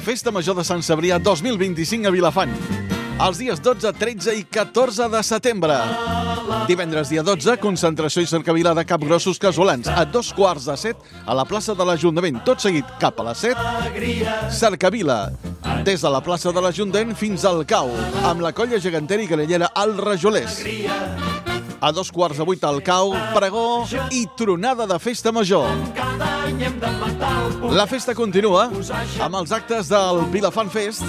Festa Major de Sant Cebrià 2025 a Vilafant. Els dies 12, 13 i 14 de setembre. Divendres, dia 12, concentració i cercavila de capgrossos casolans a 6:45 a la plaça de l'Ajuntament. Tot seguit, cap a les 7, cercavila. Des de la plaça de l'Ajuntament fins al Cau, amb la colla gegantera i grellera al Rajolers. A 7:45 al Cau, pregó i tronada de festa major. La festa continua amb els actes del Vilafant Fest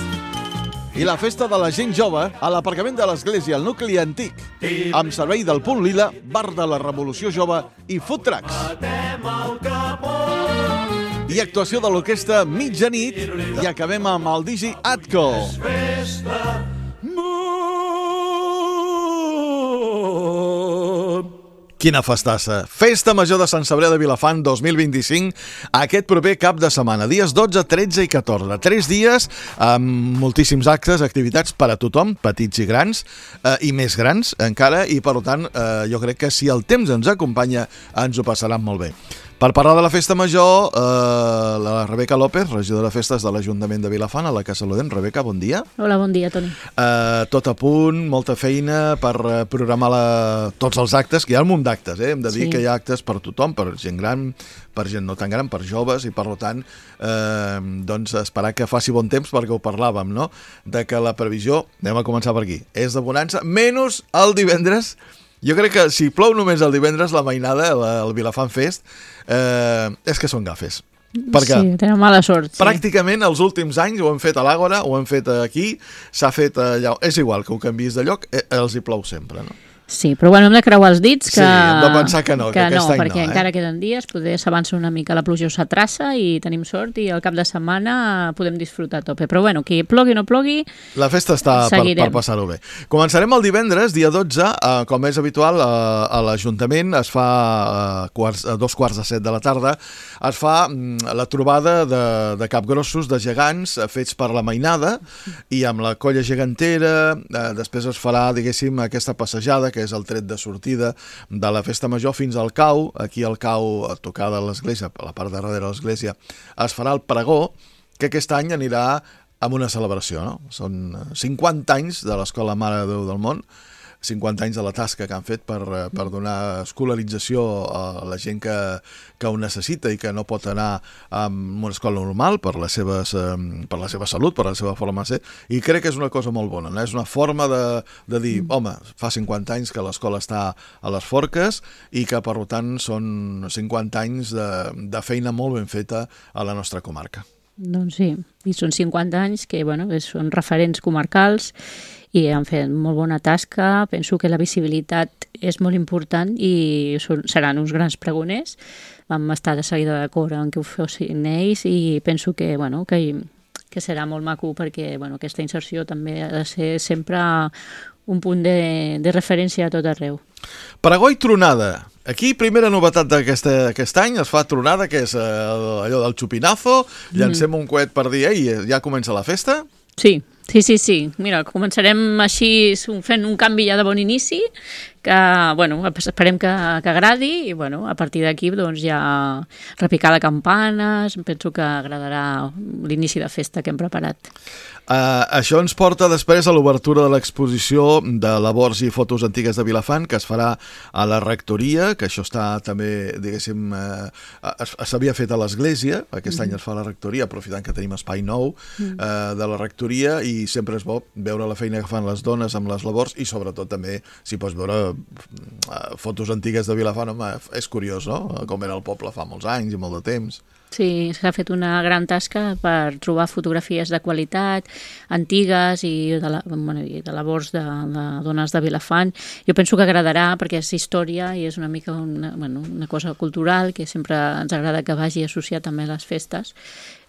i la festa de la gent jove a l'aparcament de l'església, al nucli antic, amb servei del Punt Lila, bar de la Revolució Jove i food trucks. I actuació de l'orquestra mitjanit i acabem amb el Digi Atco. Quina festassa! Festa Major de Sant Cebrià de Vilafant 2025, aquest proper cap de setmana, dies 12, 13 i 14. 3 dies amb moltíssims actes, activitats per a tothom, petits i grans, i més grans encara, i per tant jo crec que si el temps ens acompanya ens ho passaran molt bé. Per parlar de la Festa Major, la Rebeca López, regidora de Festes de l'Ajuntament de Vilafant, a la Casa Loden. Rebeca, bon dia. Hola, bon dia, Toni. Tot a punt, molta feina per programar tots els actes, que hi ha un munt d'actes, hem de dir que hi ha actes per tothom, per gent gran, per gent no tan gran, per joves, i per tant, doncs esperar que faci bon temps, perquè ho parlàvem, no?, de que la previsió, anem a començar per aquí, és de bonança, menys el divendres. Jo crec que si plou només el divendres, la mainada, el Vilafant Fest, és que són gafes. Perquè sí, tenen mala sort. Pràcticament els últims anys ho hem fet a l'Àgora, ho hem fet aquí, s'ha fet allà. És igual que ho canviïs de lloc, els hi plou sempre, no? Sí, però bueno, hem de creuar els dits que... Sí, hem de pensar que no, que aquest any perquè no, encara queden dies, poder s'avança una mica la pluja o s'atraça i tenim sort i al cap de setmana podem disfrutar a tope. Però bueno, que plogui o no plogui, la festa està per passar-ho bé. Començarem el divendres, dia 12, com és habitual, a l'Ajuntament es fa a 7:15 de la tarda, es fa la trobada de capgrossos, de gegants, fets per la mainada, i amb la colla gegantera, després es farà, diguéssim, aquesta passejada, que és el tret de sortida de la Festa Major fins al Cau. Aquí al Cau, a tocar de l'església, a la part de darrere de l'església, es farà el pregó, que aquest any anirà amb una celebració, no? Són 50 anys de l'Escola Mare de Déu del Món, 50 anys de la tasca que han fet per donar escolarització a la gent que ho necessita i que no pot anar a una escola normal per la seva salut, per la seva forma de ser, i crec que és una cosa molt bona, no? És una forma de dir, home, fa 50 anys que l'escola està a les forques i que per tant són 50 anys de feina molt ben feta a la nostra comarca. Doncs sí, i són 50 anys que bueno, són referents comarcals i han fet molt bona tasca. Penso que la visibilitat és molt important i seran uns grans pregoners. Vam estar de seguida d'acord en que ho fossin ells i penso que, bueno, que serà molt maco perquè bueno, aquesta inserció també ha de ser sempre un punt de referència a tot arreu. Pregó i tronada. Aquí, primera novetat d'aquest any, es fa tronada, que és allò del xupinazo, llancem un coet per dir, ja comença la festa? Sí. Mira, començarem així fent un canvi ja de bon inici, que bueno, esperem que agradi i bueno, a partir d'aquí doncs, ja repicar de campanes, penso que agradarà l'inici de festa que hem preparat. Això ens porta després a l'obertura de l'exposició de labors i fotos antigues de Vilafant, que es farà a la rectoria, que això està també, diguéssim, s'havia fet a l'església, aquest any es fa a la rectoria, aprofitant que tenim espai nou de la rectoria, i sempre és bo veure la feina que fan les dones amb les labors, i sobretot també, si pots veure fotos antigues de Vilafant, home, és curiós, no?, com era el poble fa molts anys i molt de temps. Sí, s'ha fet una gran tasca per trobar fotografies de qualitat, antigues i de labors de dones de Vilafant. Jo penso que agradarà perquè és història i és una mica una cosa cultural que sempre ens agrada que vagi associat també a les festes.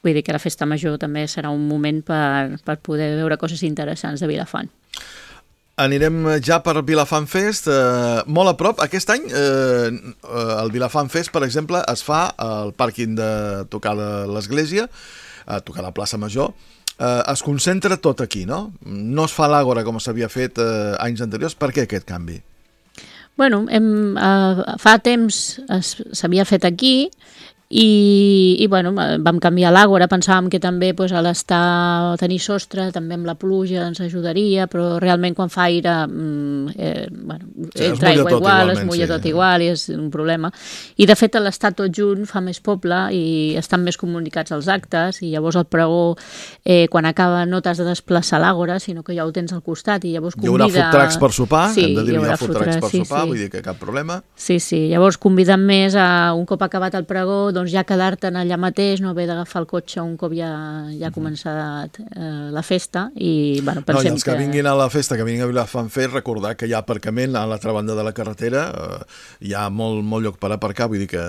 Vull dir que la Festa Major també serà un moment per poder veure coses interessants de Vilafant. Anirem ja per Vilafant Fest, molt a prop. Aquest any el Vilafant Fest, per exemple, es fa al pàrquing de tocar de l'església, a tocar la plaça Major. Es concentra tot aquí, no? No es fa a l'Àgora com s'havia fet anys anteriors. Per què aquest canvi? Bueno, fa temps s'havia fet aquí I bueno, vam canviar l'àgora, pensàvem que també tenir sostre també amb la pluja ens ajudaria, però realment quan fa aire entra aigua igual, es mulla tot igual i és un problema. I de fet l'estar tot junt fa més poble i estan més comunicats els actes i llavors el pregó quan acaba no t'has de desplaçar l'àgora, sinó que ja ho tens al costat i llavors convida... Hi haurà food trucks per sopar, hem de dir hi haurà food trucks per sopar, vull dir que cap problema. Sí, llavors conviden més a un cop acabat el pregó, doncs ja quedar-te'n allà mateix, no haver d'agafar el cotxe un cop ja ha començat la festa i pensem que... I els que vinguin a la festa, que vinguin a Vilafranfer, recordar que hi ha aparcament a l'altra banda de la carretera, hi ha molt lloc per aparcar, vull dir que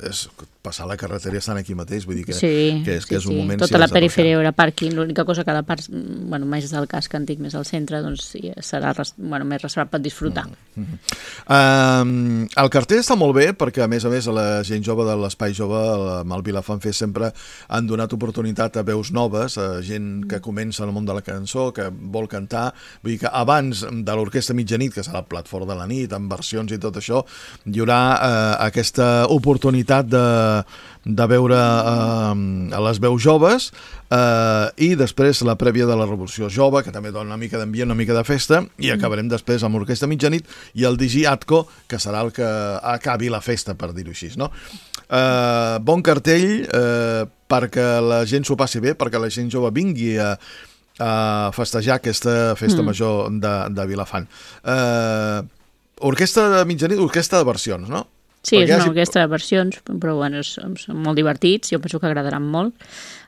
és passar la carretera i estan aquí mateix, vull dir que és un moment... Tota la perifèria hi haurà pàrquing, l'única cosa que la part més del casc antic, més al centre, doncs serà més reservat per disfrutar. El cartell està molt bé perquè, a més, la gent jove de l'Espai Jove amb el Vilafranfer sempre han donat oportunitat a veus noves, a gent que comença en el món de la cançó, que vol cantar. Vull dir que abans de l'Orquestra Mitjanit, que serà el plat fort de la nit, amb versions i tot això, hi haurà aquesta oportunitat de veure les veus joves i després la prèvia de la Revolució Jove, que també dona una mica d'ambient, una mica de festa, i acabarem després amb l'Orquestra Mitjanit i el DJ Atco, que serà el que acabi la festa, per dir-ho així, no? Bon cartell perquè la gent s'ho passi bé, perquè la gent jove vingui a festejar aquesta festa major de Vilafant. Orquestra de Mitjanit, orquestra de versions, no? Sí, és una orquestra de versions, però són molt divertits, jo penso que agradaran molt.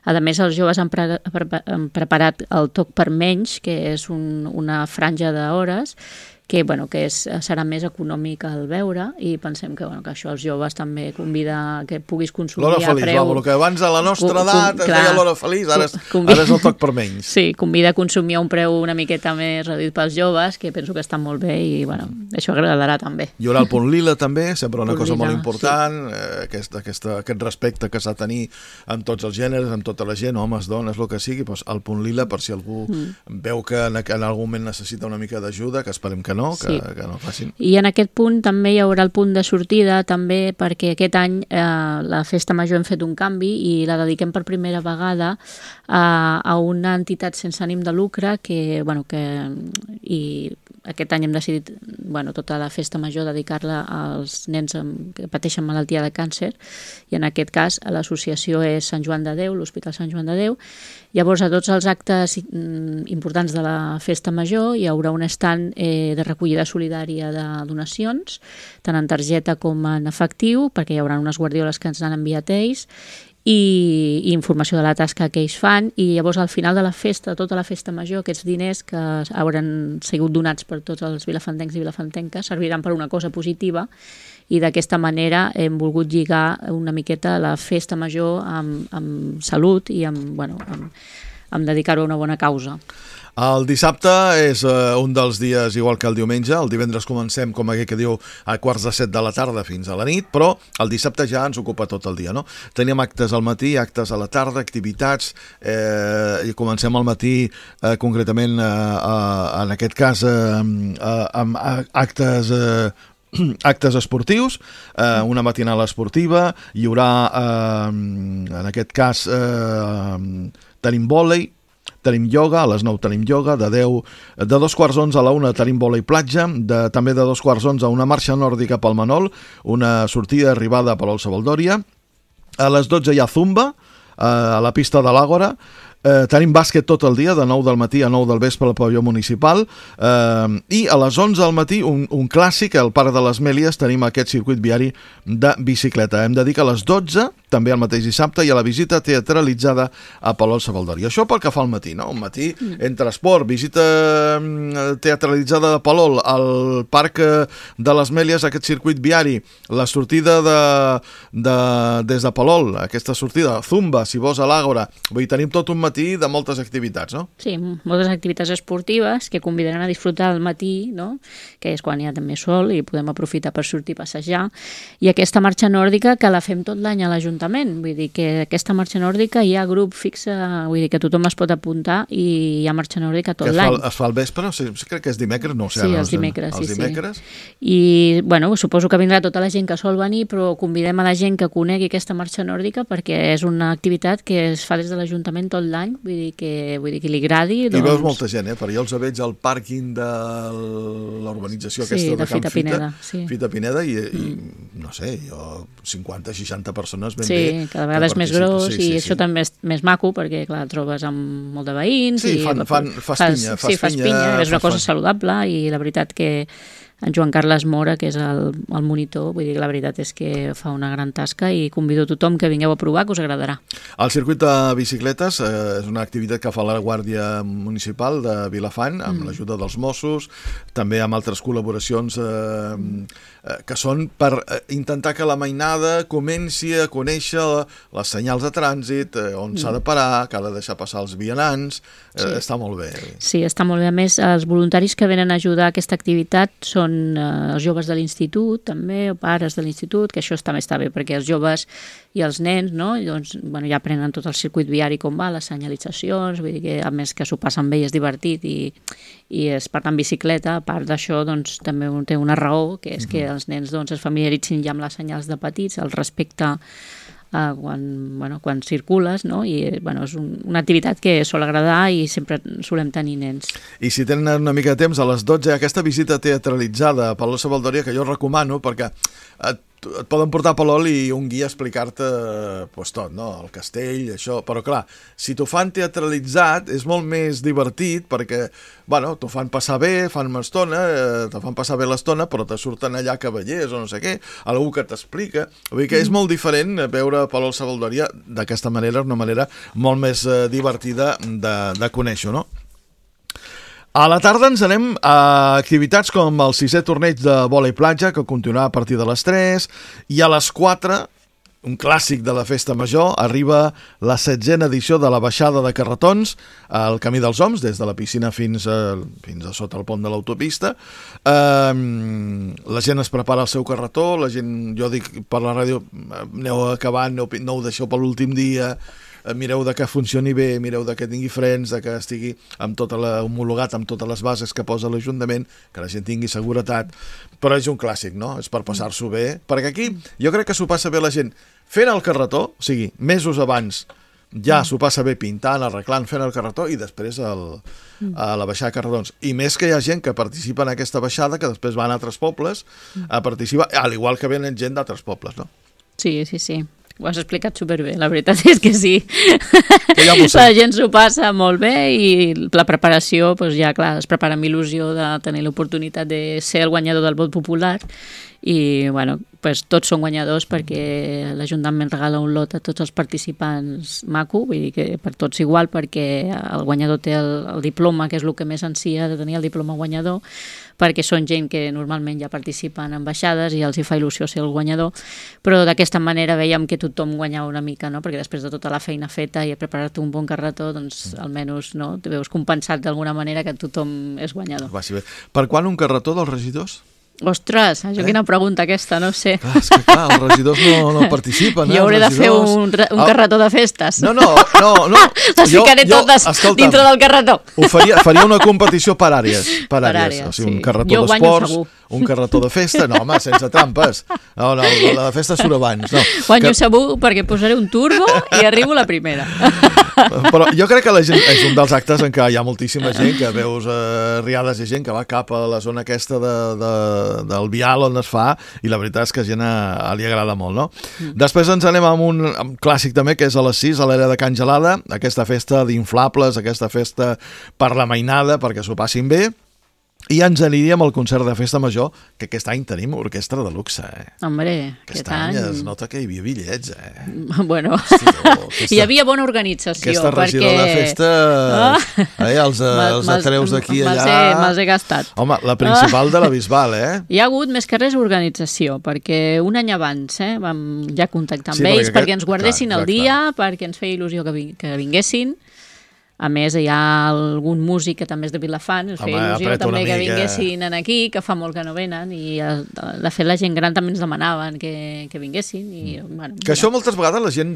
A més, els joves han preparat el Toc per menys, que és una franja d'hores, que serà més econòmic al veure i pensem que això als joves també convida que puguis consumir l'hora feliç, a preu... el que abans a la nostra edat es deia l'hora feliç, ara és el toc per menys. Sí, convida a consumir a un preu una miqueta més reduït pels joves, que penso que està molt bé i això agradarà també. Hi haurà el punt lila també, sempre una cosa molt important, aquest respecte que s'ha de tenir amb tots els gèneres, amb tota la gent, homes, dones, el que sigui, el punt lila per si algú veu que en algun moment necessita una mica d'ajuda, que esperem que no facin. I en aquest punt també hi haurà el punt de sortida, també perquè aquest any la Festa Major hem fet un canvi i la dediquem per primera vegada a una entitat sense ànim de lucre i aquest any hem decidit tota la Festa Major dedicar-la als nens que pateixen malaltia de càncer i en aquest cas l'associació és Sant Joan de Déu, l'Hospital Sant Joan de Déu. Llavors a tots els actes importants de la Festa Major hi haurà un stand de recollida solidària de donacions, tant en targeta com en efectiu, perquè hi haurà unes guardioles que ens han enviat ells i informació de la tasca que ells fan i llavors al final de la festa, tota la Festa Major, aquests diners que hauran sigut donats per tots els vilafantencs i vilafantenques serviran per una cosa positiva i d'aquesta manera hem volgut lligar una miqueta la Festa Major amb salut i amb dedicar-ho a una bona causa. El dissabte és un dels dies igual que el diumenge. El divendres comencem, com aquell que diu, a 6:45 de la tarda fins a la nit, però el dissabte ja ens ocupa tot el dia, no? Tenim actes al matí, actes a la tarda, activitats, i comencem al matí concretament, en aquest cas, amb actes esportius, una matinada esportiva, hi haurà, en aquest cas, tenim vòlei, tenim ioga, a les 9 tenim ioga, de 2:15 a la 1 tenim vòlei platja, també de 2:15 a una marxa nòrdica pel Manol, una sortida arribada a Palol Sabaldòria, a les 12 hi ha zumba, a la pista de l'Àgora, tenim bàsquet tot el dia, de 9 del matí a 9 del vespre al pavelló municipal, i a les 11 del matí un clàssic, al Parc de les Mèlies tenim aquest circuit viari de bicicleta. Hem de dir que a les 12, també el mateix dissabte, hi ha la visita teatralitzada a Palol Sabaldòria. Això pel que fa al matí, no? Un matí entre esport, visita teatralitzada de Palol, al Parc de les Mèlies, aquest circuit viari, la sortida des de Palol, aquesta sortida, zumba, si vols a l'Àgora, vull dir, tenim tot un matí de moltes activitats, no? Sí, moltes activitats esportives que convidaran a disfrutar al matí, no? Que és quan hi ha també sol i podem aprofitar per sortir a passejar. I aquesta marxa nòrdica que la fem tot l'any a l'Ajuntament l'Ajuntament. Vull dir que aquesta marxa nòrdica hi ha grup fixe, vull dir que tothom es pot apuntar i hi ha marxa nòrdica tot l'any. Es fa al vespre? Crec que és dimecres, no? Sí, els dimecres. Els dimecres. I, bueno, suposo que vindrà tota la gent que sol venir, però convidem a la gent que conegui aquesta marxa nòrdica perquè és una activitat que es fa des de l'Ajuntament tot l'any, vull dir que li agradi. I veus molta gent, perquè jo els veig al pàrquing de l'urbanització aquesta de Can Fita. Fita Pineda i no sé, jo 50-60 persones ben bé. Sí, cada vegada és més gros i això també és més maco perquè, clar, trobes amb molt de veïns. Sí, fas pinya. Sí, fas pinya, és una cosa saludable i la veritat que en Joan Carles Mora, que és el monitor, vull dir que la veritat és que fa una gran tasca i convido tothom que vingueu a provar, que us agradarà. El circuit de bicicletes és una activitat que fa la Guàrdia Municipal de Vilafant, amb l'ajuda dels Mossos, també amb altres col·laboracions que són per intentar que la mainada comenci a conèixer les senyals de trànsit, on s'ha de parar, que ha de deixar passar els vianants. Està molt bé. Sí, està molt bé. A més, els voluntaris que venen a ajudar a aquesta activitat són els joves de l'institut, també, o pares de l'institut, que això també està bé, perquè els joves i els nens, no? Doncs, bueno, ja aprenen tot el circuit viari com va, les senyalitzacions, vull dir que a més que s'ho passen bé i és divertit i es parla en bicicleta, a part d'això doncs, també té una raó, que és que els nens doncs, es familiaritzin ja amb les senyals de petits, el respecte quan circules, no? I bueno, és una activitat que sol agradar i sempre solem tenir nens. I si tenen una mica de temps, a les 12, aquesta visita teatralitzada a Palol Savaldòria, que jo recomano, perquè et poden portar a Palol i un guia a explicar-te tot, no? El castell, això, però clar, si t'ho fan teatralitzat és molt més divertit perquè, bueno, t'ho fan passar bé, fan una estona, te fan passar bé l'estona, però te surten allà cavallers o no sé què, algú que t'explica, vull dir que és molt diferent veure Palol Savaldòria d'aquesta manera, una manera molt més divertida de conèixer, no? A la tarda ens anem a activitats com el 6è torneig de vòlei platja, que continuarà a partir de les 3, i a les 4, un clàssic de la festa major, arriba la 7a edició de la baixada de carretons al Camí dels Oms, des de la piscina fins a sota el pont de l'autopista. La gent es prepara el seu carretó, la gent, jo dic per la ràdio, aneu acabant, no ho deixeu per l'últim dia, mireu de que funcioni bé, mireu de que tingui frens, de que estigui homologat amb totes les bases que posa l'Ajuntament, que la gent tingui seguretat, però és un clàssic, no? És per passar-s'ho bé, perquè aquí jo crec que s'ho passa bé la gent fent el carretó, o sigui, mesos abans ja s'ho passa bé pintant, arreglant, fent el carretó i després a la baixada de carretons. I més que hi ha gent que participa en aquesta baixada que després van a altres pobles a participar, al igual que venen gent d'altres pobles, no? Sí. Ho has explicat superbé, la veritat és que sí. La gent s'ho passa molt bé i la preparació, doncs ja clar, es prepara amb il·lusió de tenir l'oportunitat de ser el guanyador del vot popular i bueno, pues, tots són guanyadors perquè l'Ajuntament regala un lot a tots els participants maco, vull dir que per tots igual, perquè el guanyador té el diploma, que és el que més ansia de tenir el diploma guanyador, perquè són gent que normalment ja participen en baixades i els hi fa il·lusió ser el guanyador, però d'aquesta manera veiem que tothom guanyava una mica, no? Perquè després de tota la feina feta i preparar-te un bon carretó, doncs almenys no? Te veus compensat d'alguna manera que tothom és guanyador. Per quan un carretó dels regidors? Ostres, això quina pregunta aquesta, no sé. Clar, és que clar, els regidors no participen. Jo hauré de fer un carretó de festes. No. Les ficaré totes dintre del carretó. Faria una competició per àrees. O sigui, un carretó d'esports, un carretó de festa, no, home, sense trampes. No, la de festa surt abans. Guanyo segur perquè posaré un turbo i arribo la primera. Però jo crec que la gent és un dels actes en què hi ha moltíssima gent, que veus riades de gent que va cap a la zona aquesta del vial on es fa, i la veritat és que a gent li agrada molt, no? Després ens anem amb un clàssic també, que és a les 6, a l'era de Can Gelada, aquesta festa d'inflables, aquesta festa per la mainada, perquè s'ho passin bé. I ens aniríem al concert de Festa Major, que aquest any tenim orquestra de luxe. Hombre, aquest any es nota que hi havia bitllets. Bueno, hi havia bona organització. Aquesta regidor de festa, els atreus d'aquí i allà... Me'ls he gastat. Home, la principal de la Bisbal, Hi ha hagut més que res organització, perquè un any abans vam ja contactar amb ells perquè ens guardessin el dia, perquè ens feia il·lusió que vinguessin. A més, hi ha algun músic que també és de Vilafant, us feia il·lusió també que vinguessin aquí, que fa molt que no venen, i de fet la gent gran també ens demanaven que vinguessin. I, bueno, que això moltes vegades la gent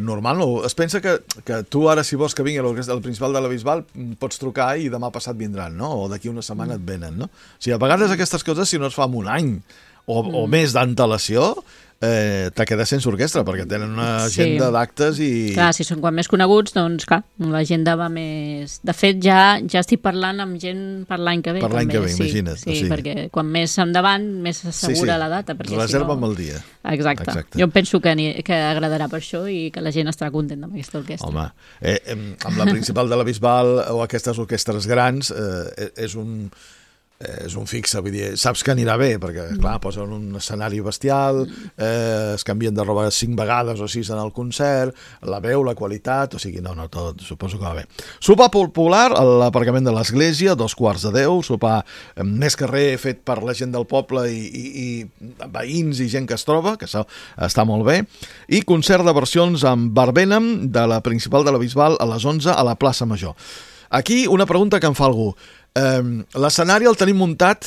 normal no, es pensa que tu ara, si vols que vingui al Principal de la Bisbal, pots trucar i demà passat vindran, no? O d'aquí una setmana et venen, no? O sigui, a vegades aquestes coses, si no es fa en un any o més d'antelació, te quedes sense orquestra, perquè tenen una agenda d'actes i... Clar, si són quan més coneguts, doncs clar, l'agenda va més... De fet, ja estic parlant amb gent per l'any que ve. Per l'any que ve, imagina't. Sí, perquè quan més endavant, més s'assegura la data. Reserva'm el dia. Exacte. Jo penso que agradarà per això i que la gent estarà contenta amb aquesta orquestra. Home, amb la Principal de la Bisbal o aquestes orquestres grans és un fixe, vull dir, saps que anirà bé, perquè, clar, posen un escenari bestial, es canvien de roba 5 vegades o 6 en el concert, la veu, la qualitat, o sigui, no, tot, suposo que va bé. Sopar popular a l'aparcament de l'església, 9:45, sopar més carrer fet per la gent del poble i veïns i gent que es troba, que això està molt bé, i concert de versions amb Barbenham de la Principal de la Bisbal a les 11 a la plaça Major. Aquí una pregunta que em fa algú. L'escenari el tenim muntat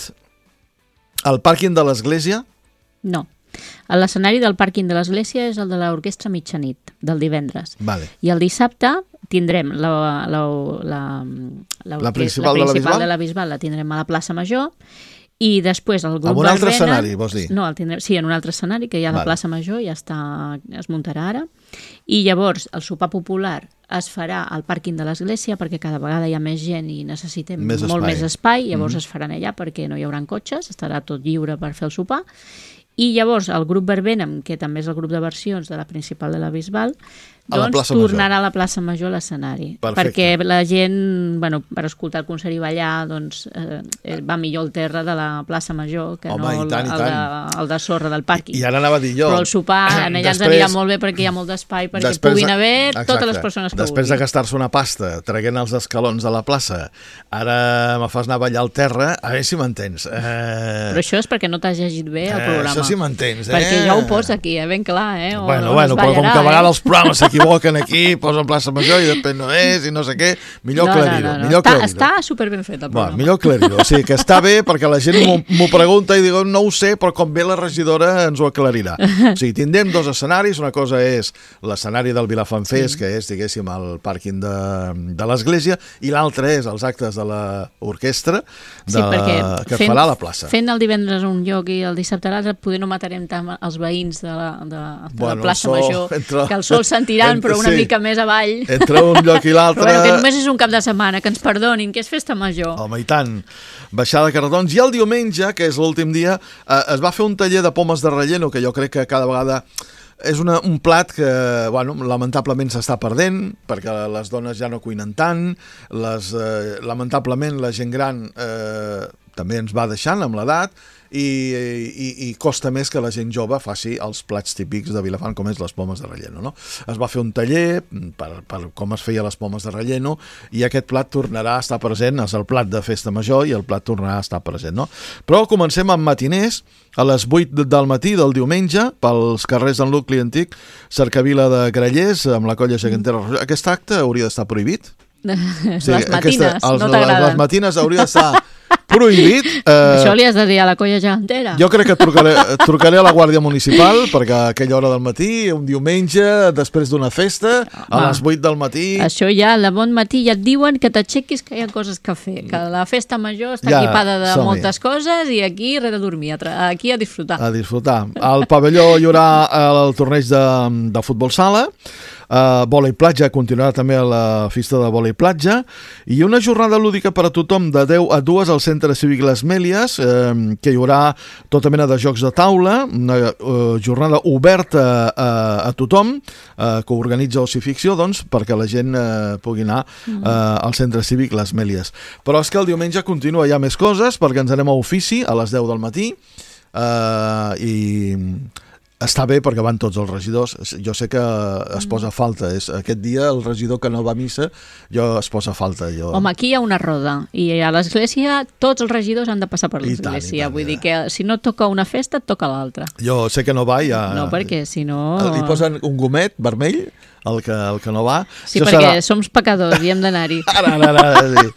al pàrquing de l'església? No. L'escenari del pàrquing de l'església és el de l'orquestra mitjanit, del divendres. Vale. I el dissabte tindrem la Principal de la Bisbal la tindrem a la plaça Major, i després el grup Barbenham... En un altre escenari, vols dir? No, sí, en un altre escenari, que hi ha la plaça Major, ja es muntarà ara. I llavors el sopar popular es farà al pàrquing de l'església, perquè cada vegada hi ha més gent i necessitem molt més espai, llavors es faran allà perquè no hi haurà cotxes, estarà tot lliure per fer el sopar. I llavors el grup Barbenham, que també és el grup de versions de la Principal de la Bisbal, doncs tornarà a la plaça Major a l'escenari. Perquè la gent, bueno, per escoltar el concert i ballar, doncs va millor el terra de la plaça Major que no el de sorra del pàrquing. I ara anava a dir jo. Però el sopar en allà ens anirà molt bé perquè hi ha molt d'espai perquè puguin haver totes les persones que vulguin. Després de gastar-se una pasta traient els escalons de la plaça, ara me fas anar a ballar al terra, a veure si m'entens. Però això és perquè no t'has llegit bé el programa. Això sí m'entens, Perquè ja ho posa aquí, ben clar, Bueno, però com que a vegades els programes s'equivoquen aquí, posen plaça Major i després no és i no sé què, millor aclarir-ho. Està superben fet el programa. Millor aclarir-ho, o sigui que està bé perquè la gent m'ho pregunta i diu no ho sé, però com ve la regidora ens ho aclarirà. O sigui, tindrem 2 escenaris, una cosa és l'escenari del Vilafant Fest, que és, diguéssim, el pàrquing de l'església, i l'altre és els actes de l'orquestra que farà a la plaça. Fent el divendres un lloc i el dissabte a l'altre, poder no matarem tant els veïns de la plaça Major, que el sol sentiran, però una mica més avall. Entre un lloc i l'altre... Però que només és un cap de setmana, que ens perdonin, que és festa major. Home, i tant. Baixada de carretons. I el diumenge, que és l'últim dia, es va fer un taller de pomes de relleno, que jo crec que cada vegada... És un plat que, bueno, lamentablement s'està perdent, perquè les dones ja no cuinen tant, lamentablement la gent gran també ens va deixant amb l'edat, i costa més que la gent jove faci els plats típics de Vilafant, com és les pomes de relleno, no? Es va fer un taller per com es feia les pomes de relleno, i aquest plat tornarà a estar present, és el plat de festa major i el plat tornarà a estar present, no? Però comencem amb matiners a les 8 del matí del diumenge pels carrers del nucli antic, Cercavila de Grallers, amb la colla gegantera. Aquest acte hauria d'estar prohibit? Les matines, no t'agraden? Les matines hauria d'estar prohibit. Això li has de dir a la colla gegantera. Jo crec que trucaré a la Guàrdia Municipal, perquè a aquella hora del matí, un diumenge, després d'una festa, a les 8 del matí... Això ja, de bon matí, ja et diuen que t'aixequis, que hi ha coses que fer, que la festa major està equipada de moltes coses i aquí res de dormir, aquí a disfrutar. A disfrutar. Al pavelló hi haurà el torneig de futbol sala, vòlei platja, continuarà també a la festa de vòlei platja, i una jornada lúdica per a tothom de 10 a 2 al Centre Cívic Les Mèlies, que hi haurà tota mena de jocs de taula, una jornada oberta a tothom, que organitza Ocificció, doncs, perquè la gent pugui anar al Centre Cívic Les Mèlies. Però és que el diumenge continua, hi ha més coses, perquè ens anem a ofici a les 10 del matí, i... Està bé perquè van tots els regidors. Jo sé que es posa falta. Aquest dia el regidor que no va a missa es posa falta. Home, aquí hi ha una roda i a l'església tots els regidors han de passar per l'església. Vull dir que si no toca una festa, et toca l'altra. Jo sé que no va ja... No, perquè si no... Li posen un gomet vermell el que no va. Sí, això perquè som pecadors i hem d'anar-hi. Ara, sí.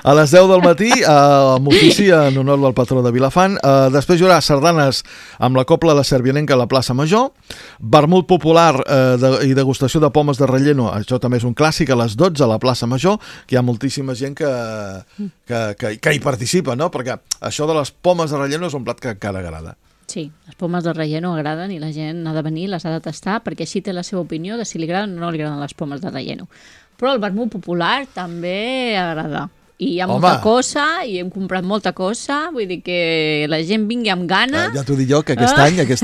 A les 10 del matí, amb ofici en honor del patró de Vilafant. Després hi haurà sardanes amb la Cobla La Servianenca a la plaça Major, vermut popular i degustació de pomes de relleno, això també és un clàssic, a les 12 a la plaça Major, que hi ha moltíssima gent que hi participa, no? Perquè això de les pomes de relleno és un plat que encara agrada. Sí, les pomes de relleno agraden i la gent ha de venir, les ha de tastar, perquè així té la seva opinió de si li agraden o no li agraden les pomes de relleno. Però el vermut popular també agrada. I hi ha molta cosa, i hem comprat molta cosa, vull dir que la gent vingui amb gana. Ja t'ho dic jo, que aquest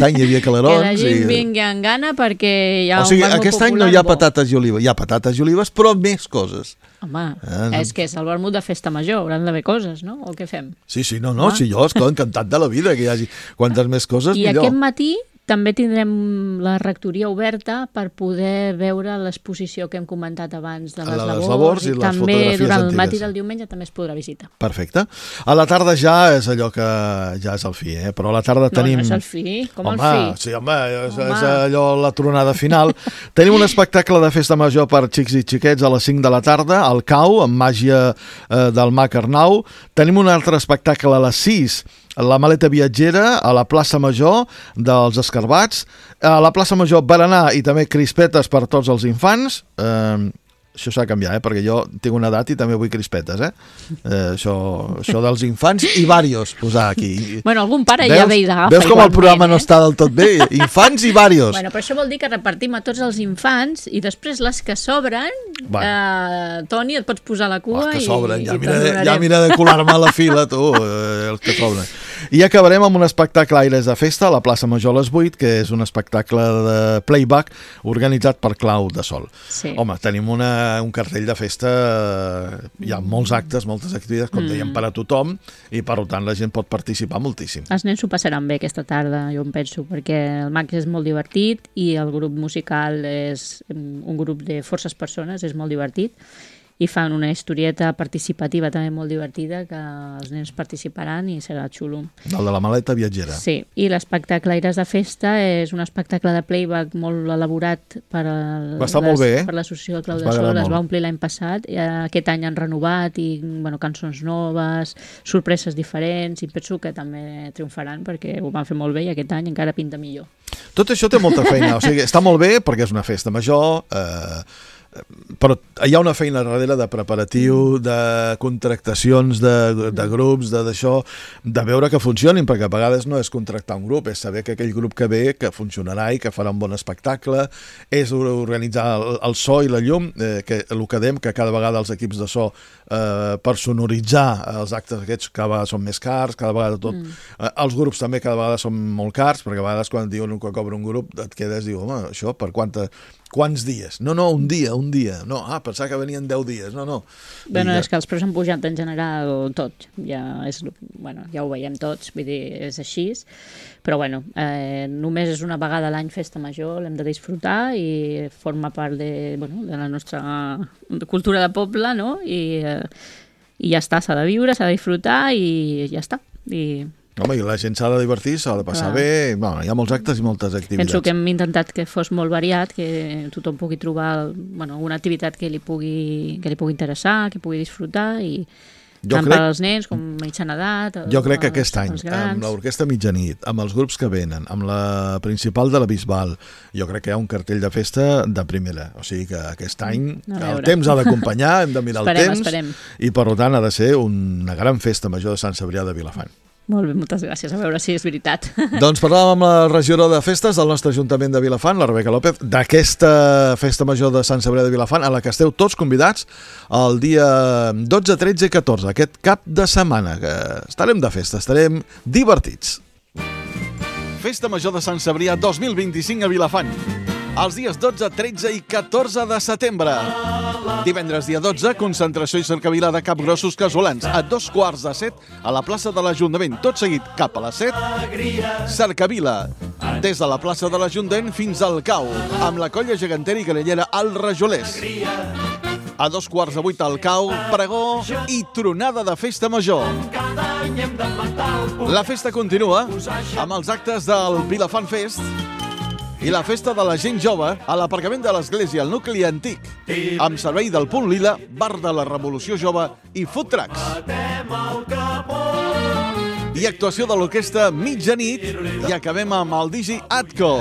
any hi havia calarons. Que la gent vingui amb gana perquè hi ha un vermut popular. O sigui, aquest any no hi ha patates i olives, hi ha patates i olives, però més coses. Home, és que és el vermut de festa major, hauran d'haver coses, no? O què fem? Sí, no, si jo estic encantat de la vida, que hi hagi quantes més coses, millor. I aquest matí també tindrem la rectoria oberta per poder veure l'exposició que hem comentat abans de les labors i també durant el matí del diumenge també es podrà visitar. Perfecte. A la tarda ja és allò que ja és el fi, però a la tarda tenim... No és el fi, com el fi? Sí, home, és allò la tronada final. Tenim un espectacle de festa major per xics i xiquets a les 5 de la tarda, al Cau, amb màgia del Mag Arnau. Tenim un altre espectacle a les 6, la maleta viatgera a la plaça Major dels Escarbats, a la plaça Major Berenar i també crispetes per tots els infants. Això s'ha de canviar, perquè jo tinc una edat i també vull crispetes, això dels infants i varios, posar aquí. Bueno, algun pare ja ve i l'agafa. Veus com el programa no està del tot bé? Infants i varios. Bueno, però això vol dir que repartim a tots els infants i després les que sobren, Toni, et pots posar a la cua que sobren, ja mira de colar-me a la fila, tu, els que sobren. I acabarem amb un espectacle Aires de Festa a la plaça Major a les 8, que és un espectacle de playback organitzat per Clau de Sol. Sí. Home, tenim un cartell de festa, hi ha molts actes, moltes activitats, com dèiem, per a tothom, i per tant la gent pot participar moltíssim. Els nens s'ho passaran bé aquesta tarda, jo em penso, perquè el Max és molt divertit i el grup musical és un grup de forces persones, és molt divertit, i fan una historieta participativa també molt divertida que els nens participaran i serà xulo. El de la maleta viatgera. Sí, i l'espectacle Aires de Festa és un espectacle de playback molt elaborat per l'Associació del Clau de Sol, es va omplir l'any passat, aquest any han renovat i cançons noves, sorpreses diferents, i penso que també triomfaran perquè ho van fer molt bé i aquest any encara pinta millor. Tot això té molta feina, o sigui, està molt bé perquè és una festa major, però hi ha una feina darrere de preparatiu, de contractacions de grups, d'això, de veure que funcionin, perquè a vegades no és contractar un grup, és saber que aquell grup que ve, que funcionarà i que farà un bon espectacle, és organitzar el so i la llum, que el que dèiem, que cada vegada els equips de so per sonoritzar els actes aquests cada vegada són més cars, cada vegada tot. Els grups també cada vegada són molt cars, perquè a vegades quan diuen que cobra un grup et quedes i dius, home, això per quants dies? No, un dia. No, pensava que venien 10 dies. No. Bueno, és que els preus han pujat en general tot. Ja ho veiem tots, vull dir, és així. Però només és una vegada a l'any festa major, l'hem de disfrutar i forma part de la nostra cultura de poble, no? I ja està, s'ha de viure, s'ha de disfrutar i ja està. Home, i la gent s'ha de divertir, s'ha de passar bé, hi ha molts actes i moltes activitats. Penso que hem intentat que fos molt variat, que tothom pugui trobar una activitat que li pugui interessar, que pugui disfrutar, i tant per als nens com mitjana edat. Jo crec que aquest any, amb l'Orquestra Mitjanit, amb els grups que venen, amb la principal de la Bisbal, jo crec que hi ha un cartell de festa de primera. O sigui que aquest any el temps ha d'acompanyar, hem de mirar el temps, i per tant ha de ser una gran festa major de Sant Cebrià de Vilafant. Molt bé, moltes gràcies. A veure si és veritat. Doncs parlàvem amb la regidora de festes del nostre Ajuntament de Vilafant, la Rebeca López, d'aquesta festa major de Sant Cebrià de Vilafant, a la que esteu tots convidats el dia 12, 13 i 14, aquest cap de setmana, que estarem de festa, estarem divertits. Festa major de Sant Cebrià 2025 a Vilafant. Els dies 12, 13 i 14 de setembre. Divendres dia 12, concentració i cercavila de capgrossos casolans a 6:45 a la plaça de l'Ajuntament. Tot seguit cap a les 7, cercavila des de la plaça de l'Ajuntament fins al Cau, amb la colla gegantera i grallera al Rajolers. A 7:45 al Cau, pregó i tronada de festa major. La festa continua amb els actes del Vilafant Fest i la festa de la gent jove a l'aparcament de l'església, al nucli antic, amb servei del Punt Lila, bar de la Revolució Jove i food trucks. I actuació de l'orquestra mitjanit i acabem amb el Digi Atco.